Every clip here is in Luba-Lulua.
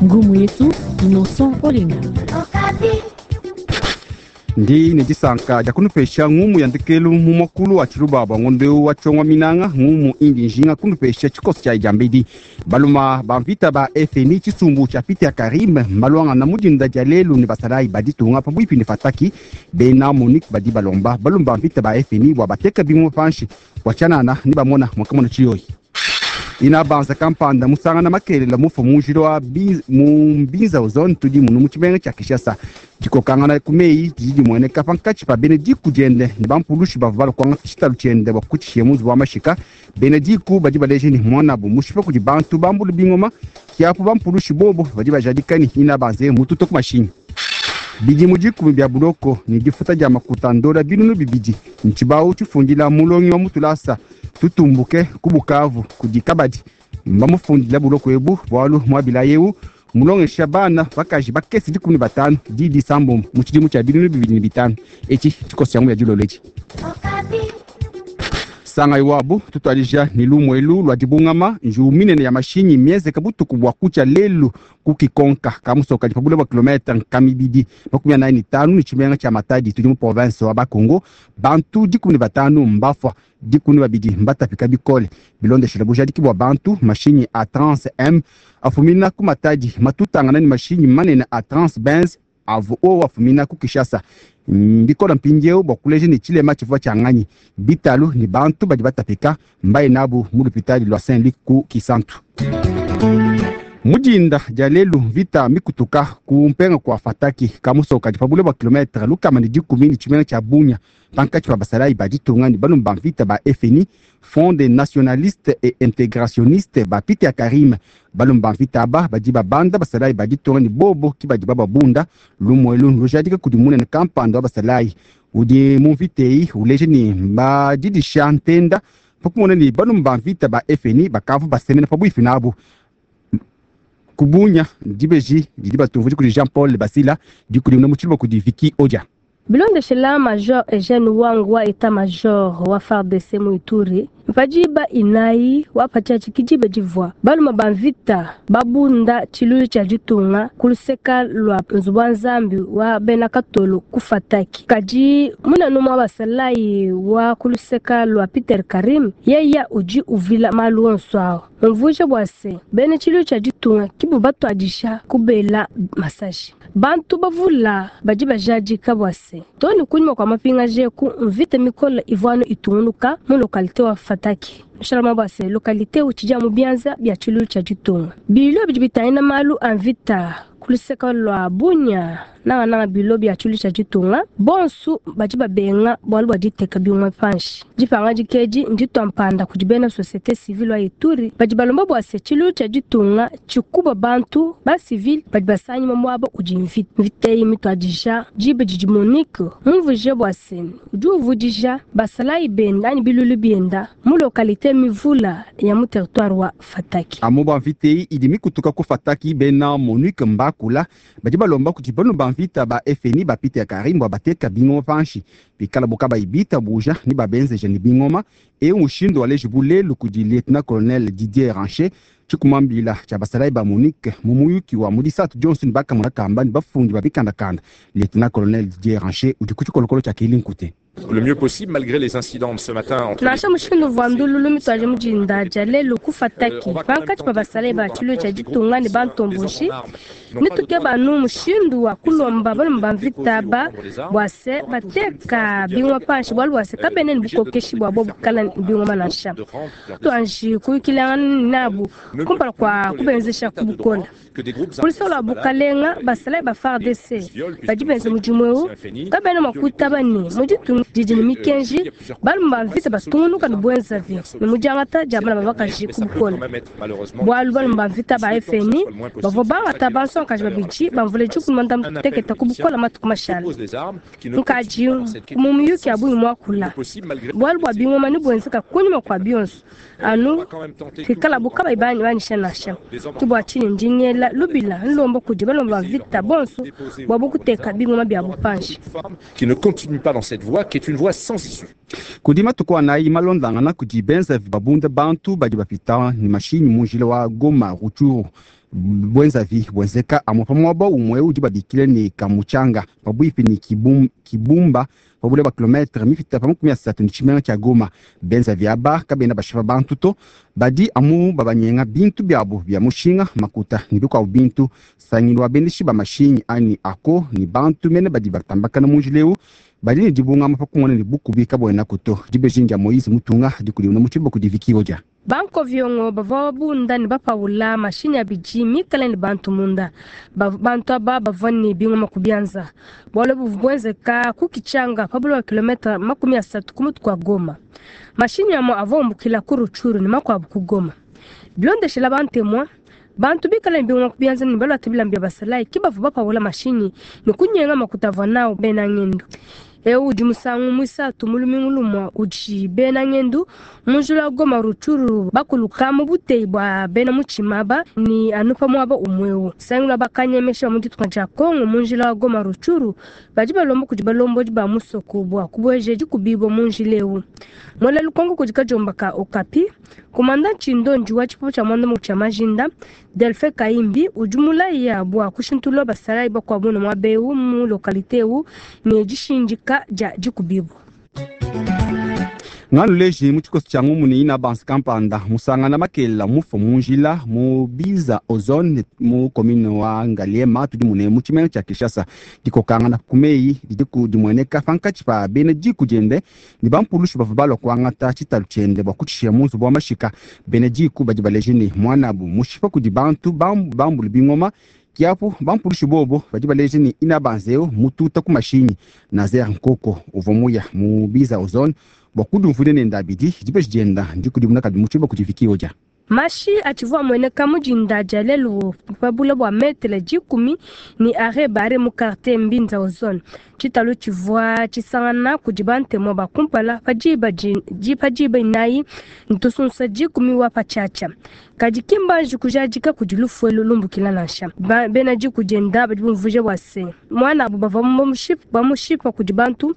Ngumu yetu Innocent Olenga. Ndi ne disanka dia kunupesha ngumu ya ndekelu mu muakulu wa tshiluba bua ngondo eu wa tshiongo minanga. Ngumu indi njinga kunupesha tshikoso tshia diambedi. Baluma ba mvita ba FNI tshisumbu tshia Peter Karim mbaluangana mu dinda dia lelu ne basalayi ba ditunga pabuipi ne Fataki. Bena MONUC badi balomba baluma ba mvita ba FNI bua bateka bingoma panshi bua tshianana ne bamona muakamona tshiyoyi. Ina banza kampanda musangana makelela mufu mu njila wa mu Mbinza zone tudi munu mu tshimenga tshia Kinshasa. Dikokangana ku meyi didi dimueneka pankatshi pa bena diku diende ne bampulushi bavua balua kuangata tshitalu tshiende bua kutshishiya mu nzubu wa mashika. Bena diku badi baleja ne muanabu mushipa kudi bantu bambula bingoma, kiapu bampulushi bobo badi bajadika ne ina banze mututa ku mashinyi. Bidimu 10 bia buloko ne difuta dia makuta ndola 2000 ntshibawu tshifundila mulongi wa mutulasa tutumbuke ku Bukavu kudi kabadi. Mbamufundila buloko ebu bualu muabila eu mulongesha bana bakaji bakese 15 didi sambombo mu tshidimu tshia 2005. Etshi tshikoso tshia ngumu ya dilolo etshi. Sanga iwabu tutuadija ne lumuelu lua dibungama. Njiwu minene ya mashinyi mienzeka butuku bua kutshia lelu ku Kikonka kamusoka pa bule bua kilometre 245 ne tshimenga tshia Matadi tudi mu province wa Bakongo. Bantu 15 mbafua, 12 mbatapika bikole. Bilondeshela bujadiki bua bantu, mashinyi a Trans M afumina ku Matadi matutangana ne mashinyi manene a Trans Benz avu owu afumina ku Kinshasa. Mbikola mpindieu bua kuleja ne tshilema tshivua tshia nganyi. Bitalu ne bantu badi batapika mbaye nabu mu lupitadi lua Saint-Luc ku Kisantu. Mu dinda dia lelu mvita mikutuka ku mpenga kua Fataki kamusoka pa bule bua kilometre 110 ne tshimenga tshia Bunia pankatshi pa basalayi ba ditunga ne balumba mvita ba FNI, Front des nationalistes et intégrationnistes ba Peter Karim. Balumba mvita aba badi babanda basalayi ba ditunga ne bobo ki badi bababunda. Lumuelu lujadika kudi munene kampanda wa basalayi udi mu mvita eyi uleja ne mbadidisha ntenda pakumona ne balumba mvita ba FNI bakavua basemena pabuipi nabu. Kubunya dibeji didi batumvudi kudi Jean Paul Basila dikudimuna mu tshiluba kudi Vicky Odia. Bilondeshela Major Eugene Wang wa Etat Major wa FARDC mu Ituri mpadiba inayi wapatshiatshi kidibe divua baluma ba mvita babunda tshiluilu tshia ditunga ku luseka lua nzubu wa nzambi wa bena katolo ku Fataki. Kadi munene umue wa basalayi wa ku luseka lua Peter Karim yeya udi uvila malu onso awu umvuija bua se bena tshiluilu tshia ditunga kibu batuadisha kubela masashi. Bantu bavula badi bajadika bua se toni kunyima kua mapingaje ku mvita mikola ivua itungunuka mu localité wa Fataki. Shalama bua se localité utshidi mu bianza bia tshiluilu tshia ditunga. Bilo bidi bitangila malu a mvita ku luseka lua Bunia nangananga bilo bia tshiluilu tshia ditunga bonsu badi babenga bualu bua diteka bingoma panshi. Dipanga dikedi nditua mpanda kudi bena société civile wa Ituri badi balomba bua se tshiluilu tshia ditunga tshikuba bantu ba civile badi basanyima muaba udi mvita. Mvita eyi mituadija diba didi MONUC mumvuije bua se udi uvudija basalayi benda anyi biluilu bienda mu localité mivula ya mu territoire wa Fataki. Amu ba mvita eyi idi mikutuka ku Fataki bena MONUC mbakula badi balomba kudi banu ba mvita ba FNI ba Peter Karim bua bateka bingoma panshi bikala bo kabayi bitabuja ne babenzeja ne bingoma. Eu mushindu waleji bulelu kudi lieutenant colonel Didier Rancher tshikumambila tshia basalayi ba MONUC mu muyuki wa mu disatu dionso ne bakamona kamba ne bafundi ba bikandakanda. Lieutenant colonel Didier Rancher udi ku tshikolokolo tshia Kelly Nkute. Le mieux possible malgré les incidents de ce matin entre Nansha mushindu uvua ndululu mituaje mu dinda dia lelu ku Fataki pankatshi pa basalayi ba tshiluilu tshia ditunga ne bantomboshi nituke banu mushindu wa kulomba baluma ba mvita ba bua se bateka bingoma panshi bualu bua se kabena ne bukokeshi bua bo bukala bingoma nansha. Tuanji kuyukilangana nabu kumpala kua kubenzesha ku bukola. Ku luseke lua bukalenga basalayi ba FARDC badi benza mudimu eu kabena mua kuitaba ne mu ditunga didi ne mikenji baluma ba mvita batungunuka ne buenzavi ne mu diangata dia bana ba bakaji ku bukola. Bualu baluma ba mvita ba FNI bavua bangata bansongakaji babidi bamvula 16 ku bukola matuku mashala. Nkaji mu miyuki ya bungi muakula bualu bua bingoma ne buenzeka kunyima kua bionso anu pikala bo kabayi banyisha nansha. Ke bua tshinyi ndi ngela lubila nlomba kudi balomba ba mvita bonso bua bokuteka bingoma bia bupanshi. Qui ne continue pas dans cette voie qui qui est une voie sans issue. Kudi matuku anayi malondangana kudi benzavi babunda bantu badi bapita ne mashinyi mu njila wa Goma Rutshuru. Bwenzavi bwenzeka amwe pa muaba umwe udi babikile ne Kamuchanga pabuipi ne Kibumba pa bule bua kilometre mipita pa 30 ne tshimenga tshia Goma. Benzavi aba kabena bashipa bantu to, badi amu babanyenga bintu biabu bia mushinga, makuta ne bikuabu bintu. Sangilu wa bendeshi ba mashinyi anyi ako ne bantu mene badi batambakana mu njila eu badi ne dibungama pa kumona ne bukubi kabuena kuto. Dibeji dia Moise Mutunga dikudiuna mu tshiluba kudi Vicky Odia. Bankoviongo bavua babunda ne bapaula mashinyi abidi mikale ne bantu munda. Bantu aba bavua ne bingoma ku bianza. Bualu buvua buenzeka ku Kichanga pa bule bua kilometre 30 ku mutu kua Goma. Mashinyi amue avua umbukila ku Rutshuru ne makuabu ku Goma. Bilondeshela bantemwa, bantu bikale ne bingoma ku bianza ne baluate bilamba bia basalayi ke bavua bapaula mashinyi ne kunyenga makuta avua nawu bena ngendu. Eu udi musangu muisatu mu lumingu lumue udi bena ngendu mu njila wa Goma Rutshuru bakuluka mu buteyi bua bena mutshima aba ne anu pa muaba umwe eu. Sangilu wa bakanyemesha mu ditunga dia Kongo mu njila wa Goma Rutshuru badi balomba kudi balombodi ba musoko bua kubueja dikubibua mu njila eu. Mwela lukongo kudi kajomba ka Okapi, komanda Tshindondi wa tshipupu tshia mwanda mukulu tshia Majinda, Delphin Kaimbi udi mulaya bua kushintulula basalayi bakuabu ne muaba eu mu lokalite eu ne dishindika dia dikubibua. Nganu leji mu tshikoso tshia ngumu ne ina banse kampanda musangana makela mufo mu njila mu biza ozone mu commune wa Ngaliema tudi mune mu tshimenga tshia Kinshasa. Dikokangana ku meyi didi ku dimueneka pankatshi pa bena diku diende ne bampulushi bavua balua kuangata tshitalu tshiende bua kutshishiya mu nzubu wa mashika. Bena diku badi baleje ne muanabu mushipa kudi bantu bambule bingoma. Kiapu bampulushi bobo badi baleje ne ina banzeo mututa ku mashinyi. Nazer Nkoko uvua muya mu biza ozone bua kudumvuila ne ndabidi dibeji dienda ndikudimuna kadi mu tshiluba kudi Vicky Odia. Mashi atshivua amueneka mu dinda dia lelu pa bule bua metele 10 ne are bare mu quartier Mbinza ozone. Tshitalu tshivua tshisangana kudi bantemu ba kumpala pa diba pa diba inayi ntusunsa 10 wa patshiatshia. Kadi ki mbanji kujadika kudi lufu elu lumbukila nansha. Bena diku dienda badi bumvuija bua se muanabu bavua bamushipa kudi bantu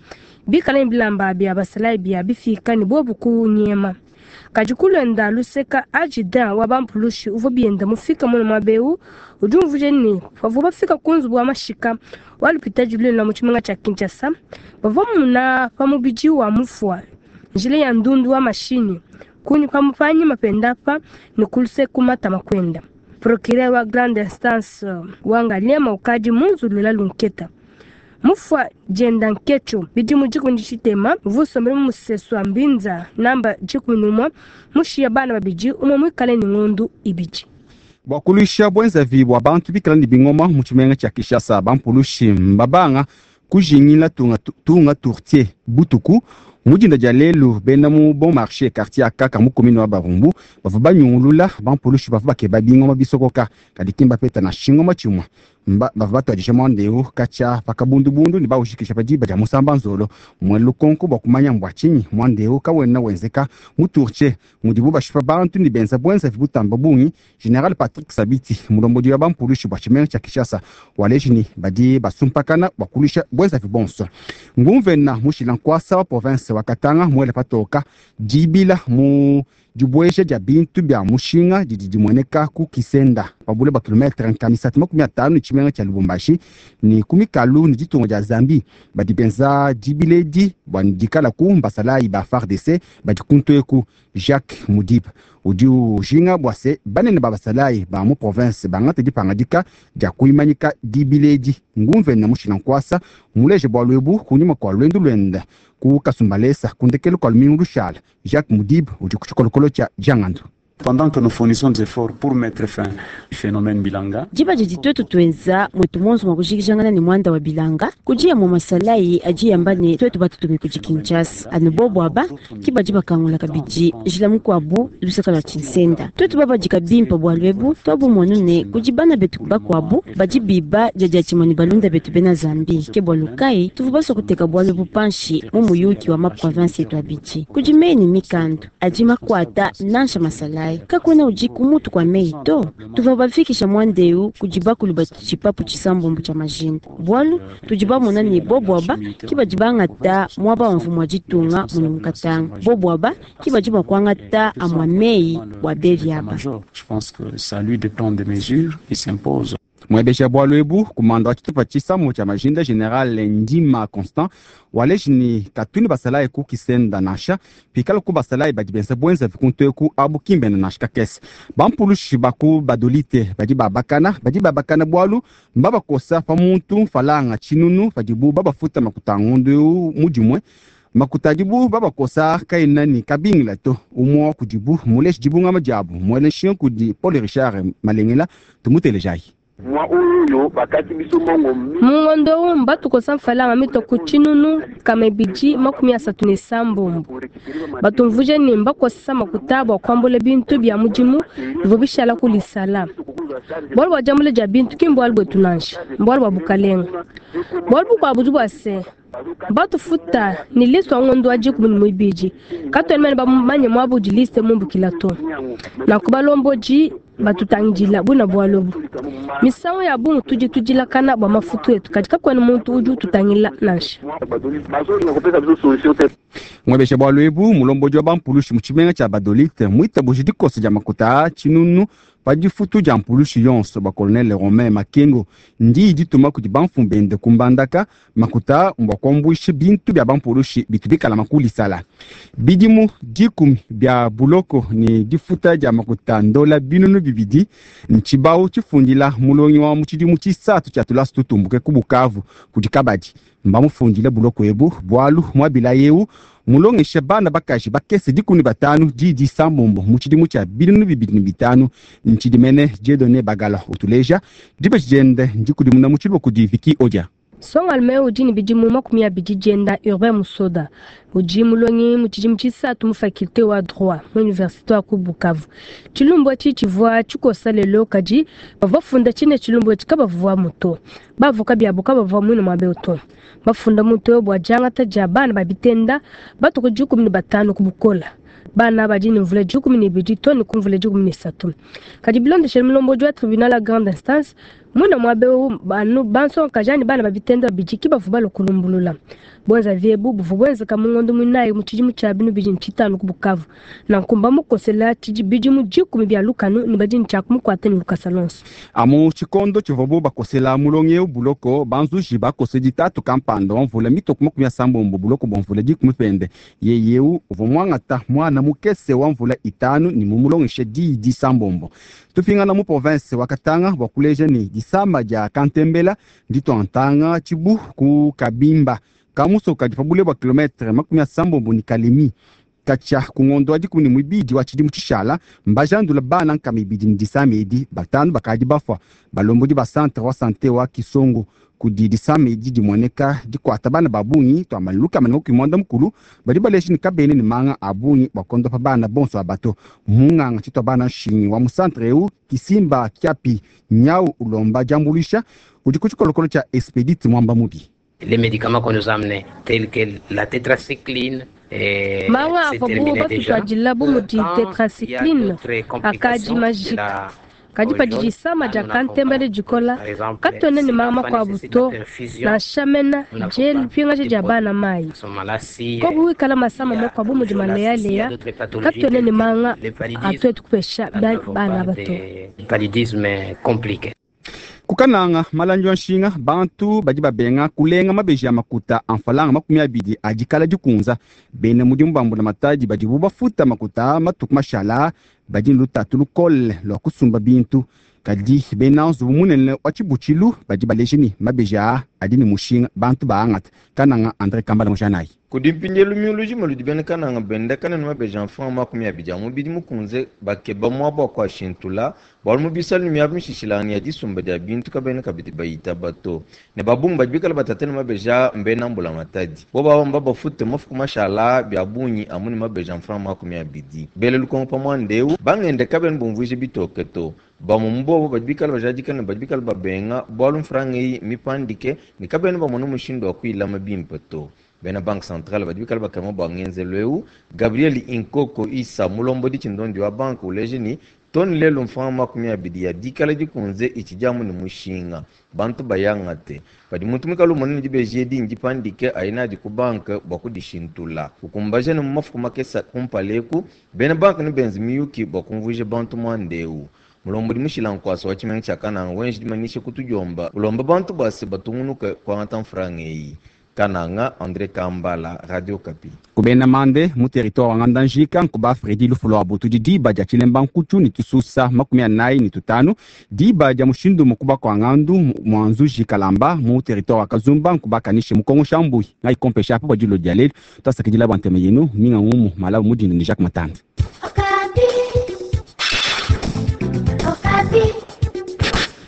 bikale ne bilamba bia basalayi bia bifika ne bobu kunyema. Kadi kulenda luseka adjudant wa bampulushi uvua bienda mufika muno muaba eu udi umvuija ne bavua bafika ku nzubu wa mashika wa lupitadi lunene mu tshimenga tshia Kinshasa bavua muna pa mubidi wa mufua njila ya ndundu wa mashinyi kunyi pa panyima penda pa ne kuluseka matama kwenda. Procureur wa grande instance wa Ngaliema ukadi munzulula lunketa. Mufua dienda nkecho bidimu 10 tshitema vusombele mu musesu wa Mbinza namba 11 mushiya bana babidi umwe mwikale ne ngondu ibidi. Bua kuluisha bwenzavi bua bantu bikala ne bingoma mu tshimenga tshia Kinshasa bampulushi mbabanga kujingila tunga tourtier butuku mu dinda dia lelu bena mu bon marché quartier akaka mu commune wa Barumbu bavua banyungulula bampulushi bavua bakeba bingoma bisokoka kadi kimba peta na shingoma tshimue. Bavua batuadija mwanda eu katshia pa kabundubundu ne bawujikisha pa diba dia musamba nzolo. Mwela lukonko bua kumanya mbua tshinyi mwanda eu kawena wenzeka mu tourtier mudibu bashipa bantu ne benza bwenzavi butamba bungi. General Patrick Sabiti mulombodi wa bampulushi bua tshimenga tshia Kinshasa waleji ne badi basumpakana bua kuluisha bwenzavi bonso. Ngumvena mushila nkwasa wa province wa Katanga mwele patoka dibila mu dibueja dia bintu bia mushinga didi dimueneka ku Kisenda pa bule bua kilometre nkamisatu 50 ne tshimenga tshia Lubumbashi ne ku mikalu ne ditunga dia Zambie. Badi benza dibiledi bua dikala ku mbasalayi ba FARDC badi kuntu eku. Jacques Mudip udi ujinga bua se banene ba basalayi ba mu province bangate dipangadika dia kuimanyika dibiledi. Ngumvena mushila nkwasa muleje bualu ebu kunyima kua luendu luenda ku Kasumbalesa kundekelu kua lumingu lushala. Jacques Mudib udi ku tshikolokolo tshia Djangandu. Pendant que nous fournissons des efforts pour mettre fin au phénomène Bilanga, Diba didi twetu twenza mwetu monso mwa kujikijangana ne mwanda wa Bilanga kujiya mu masalayi ajiyamba ne twetu batutume kudi Kinshasa anu bobo aba kibadi bakangula kabidi njila mukuabu lusaka lwa tshinsenda twetu babadika bimpa bua lwebu twabumonu ne kudi bana betu bakuabu badi biba dia tshimue ne balunda betu bena Zambi ke bua lukai tuvu basua kuteka bua lwebu panshi mu muyuki wa ma province yetu abidi kudi meni mikandu adi makuata nansha masalayi. masalayi. Kakuena udi ku mutu kua meyi to. Tuvua bafikisha muanda eu kudi bakulu ba tshipapu tshisambombo tshia majinda, bualu tudi bamona ne bobu aba ke badi bangata muaba wa mfumu wa ditunga munu mu Katanga. Bobu aba ke badi mua kuangata amua meyi bua bevi aba. Je pense que c'est à lui de prendre des mesures qui s'imposent. Muebesha bualu ebu kumanda wa tshitupa tshisamo tshia majinda general Ndima Constant waleji ni katuni basalayi ku kisenda nansha pikala ku basalayi badi benza bwenza vikuntu eku abu kimbena nansha kakese. Bampulushi baku badolite badi babakana badi babakana bualu mbabakosa pa muntu mfalanga tshinunu padibu babafuta makuta a ngondo eu mudimue. Makuta adibu babakosa kaena ni kabingila to. Umue wa kudibu muleji dibungama diabu muele nshinga kudi Paul Richard Malengela, tumutelejayi. Mungondo umu batukosa mfalanga mitwa ku tshinunu kama ibidi makumi asatu ne sambombo. Batumvuje ne mbakosa makuta bua kuambula bintu bia mudimu bivua bishala ku lisala. Bualu bua diambula dia bintu ki mbualu buetu nansha, mbualu bua bukalenga. Bualu bukuabu budi bua se batufuta ni liste wa ngondo wa 12. Katuena mene bamanye muaba udi liste mumbukila to. Nanku balombodi batutangidila buna bualu ebu. Misangu ya bungi tudi tudilakana bua mafutu etu, kadi kakuena muntu udi ututangila nansha. Muebesha bualu ebu mulombodi wa bampulushi mu tshimenga tshia Badolite muitabuji dikosa dia makuta tshinunu pa difutu dia mpulushi yonso ba colonel Romain Makengo ndi dituma kudi bamfumu bende kumbandaka makuta mbua kuambuisha bintu bia bampulushi bitu bikala makulisala. Bidimu 10 bia buloko ni difuta dia makuta ndola binunu bibidi ntshibau tshifundila mulongi wa mu tshidimu tshisatu tshia tulasa tutumbuke ku Bukavu kudi kabadi. Mbamufundile buloko ebu bualu muabila eu mulongesha bana bakaji bakese 15 didi sambombo mu tshidimu tshia 2005. Ntshidimene Dieudonné Bagala utuleja dibeji diende ndikudimuna mu tshiluba kudi Vicky Odia. Songalme udi ne bidimu 20 dienda Urbain Musoda udi mulongi mu tshidimu tshisatu mu faculté wa droit mu université wa ku Bukavu. Tshilumbu etshi tshivua tshikosa lelo kadi bavua bafunda tshine tshilumbu etshi kabavua muto. Bavoka biabu kabavua muine muabe to. Bafunda muto bua diangata dia bana ba bitenda batuku 15 ku bukola. Bana badi ne mvula 12 to ne ku mvula 13. Kadi bilondeshele mulombodi wa tribunal la grande instance muine muabe banu bansonga ni bana ba bitenda babidi ki bavua balua kulumbulula. Bwenza viebu buvua bwenzeka mu ngondo muinayi mu tshidimu tshia 2005 ku Bukavu. Nanku mbamukosela bidimu 10 bia lukanu ne badi ne tshia kumukuata ne lukasa lonso. Amu tshikondo tshivuabu bakosela mulongi eu buloko banzuji bakose ditatu kampanda wa mvula mitoko 80 buloko bua mvula 10 pende. Yeye eu uvua muangata mwana mukese wa mvula 5 ne mumulongeshe didi sambombo. Tupingana mu province wa Katanga bua kuleja ne disama dia Kantembela ndituantanga tshibu ku Kabimba kamusoka kadi pa bule bua kilometre 80 ni Kalemi. Katshia ku ngondo wa 12 wa tshidimu tshishala mbajandula bana nkama ibidi ne disama edi 5 bakadi bafua. Balombodi ba centre wa sante wa Kisongo kudi disama edi dimueneka dikuata bana ba bungi twamba lukama ne 90 badi baleji ne kabene ne manga a bungi bua kondopa bana bonso abato. Munganga tshitwa bana nshingi wa mu centre eu Kisimba Kiapi Nyau ulomba diambuluisha udi ku tshikolokolo tshia Expedite Mwamba Mubi. Les médicaments qu'on nous a amenés, tels que la tétracycline, manga avuabu batutwadila bu mudi tetracycline akadi majika. Kadi padi disama dia Kantembele dikola katuena ne manga makuabu to nansha mena die lipingaja dia bana mayi. Kobu wikala masama makuabu mudi maleyaleya katuena ne manga atuetu kupesha bana bato. Paludisme compliqué. Kukananga malangi wa nshinga bantu badi babenga kulenga mabeji ya makuta amfalanga 20 adikala dikunza. Bena mudimu bambula matadi badibu bafuta makuta matuku mashala badi lutatu lukole lwa kusumba bintu. Kadi bena nzubu munene wa tshibutshilu badi baleji ni mabeji aa adi ne mushinga bantu baangata. Kananga Andre Kambala Mujanayi. Kudi mpindielu miulujima ludi bena kananga benda kanene mabeji a mfranga 20 a mubidi mukunze bakeba muaba wa kuashintula bualu mu bisalu ne miaba mishishilangane ya disumba dia bintu kabena kabidi bayitaba to. Ne babungi badi bikala batate ne mabeji a mbena mbula matadi. Bo bawamba bafute mafuku mashala bia bungi amu ne mabeji a mfranga 20. Bele lukongo pa muanda eu bangende kabena bumvuije bitoke to. Bamwe mu bobo badi bikala bajadika ne badi bikala babenga bualu mfranga eyi mipandike ne kabena bamona mushindu wa kuyilama bimpe to. Bena Banque Centrale badi bikala bakema bua ngenzelu eu. Gabriel Inkoko Issa mulombodi tshindondi wa banque uleje ni tone lelu mfranga 20 ya dikala dikunze itshidi amu ne mushinga, bantu bayangate. Padi muntu muikale umona ne dibeji edi ndipandike aye nadi ku banque bua kudishintula. Ukumbaja ne mu mafuku makese kumpala eku, bena banque nebenze miyuki bua kumvuija bantu muanda eu. Mulombodi mushila nkuasa wa tshimenga tshia Kananga wenji dimanyisha ku tudiomba, ulomba bantu bua se batungunuke kuangata mfranga eyi. Kananga, André Kambala, Radio Okapi. Kubena mande mu territoire wa Ngandajika nkuba Fredi lufu lua butudi diba dia tshilemba nkutshu ne tususa 45 diba dia mushindu mukuba kwa ngandu mwanzuji Kalamba mu territoire wa Kazumba nkuba kanishe mukongo shambui ngai kompesha apo badilo dia lelu twasakidila bua ntema yenu minga ngumu malabu mudinda ni Jacques Matanda. Okapi. Okapi.